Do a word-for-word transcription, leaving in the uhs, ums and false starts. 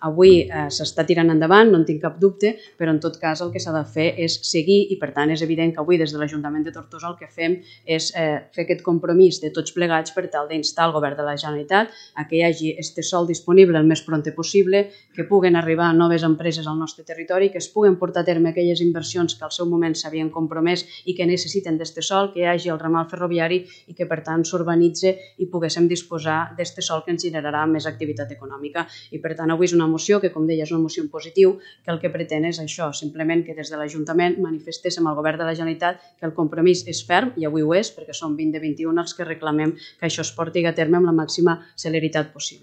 Avui s'està tirant endavant, no en tinc cap dubte, però en tot cas el que s'ha de fer és seguir i per tant és evident que avui des de l'Ajuntament de Tortosa el que fem és fer aquest compromís de tots plegats per tal d'instar el Govern de la Generalitat a que hi hagi aquest sòl disponible el més prompte possible, que puguen arribar noves empreses al nostre territori, que es puguen portar a terme aquelles inversions que al seu moment s'havien compromès i que necessiten d'aquest sòl, que hi hagi el ramal ferroviari i que per tant s'urbanitzi i poguéssim disposar d'aquest sòl que ens generarà més activitat econòmica. I per tant avui és una moció que, com deia, és una moció en positiu, que el que pretén és això, simplement que des de l'Ajuntament manifestéssim al Govern de la Generalitat que el compromís és ferm, i avui ho és, perquè som vint de vint-i-un els que reclamem que això es porti a terme amb la màxima celeritat possible.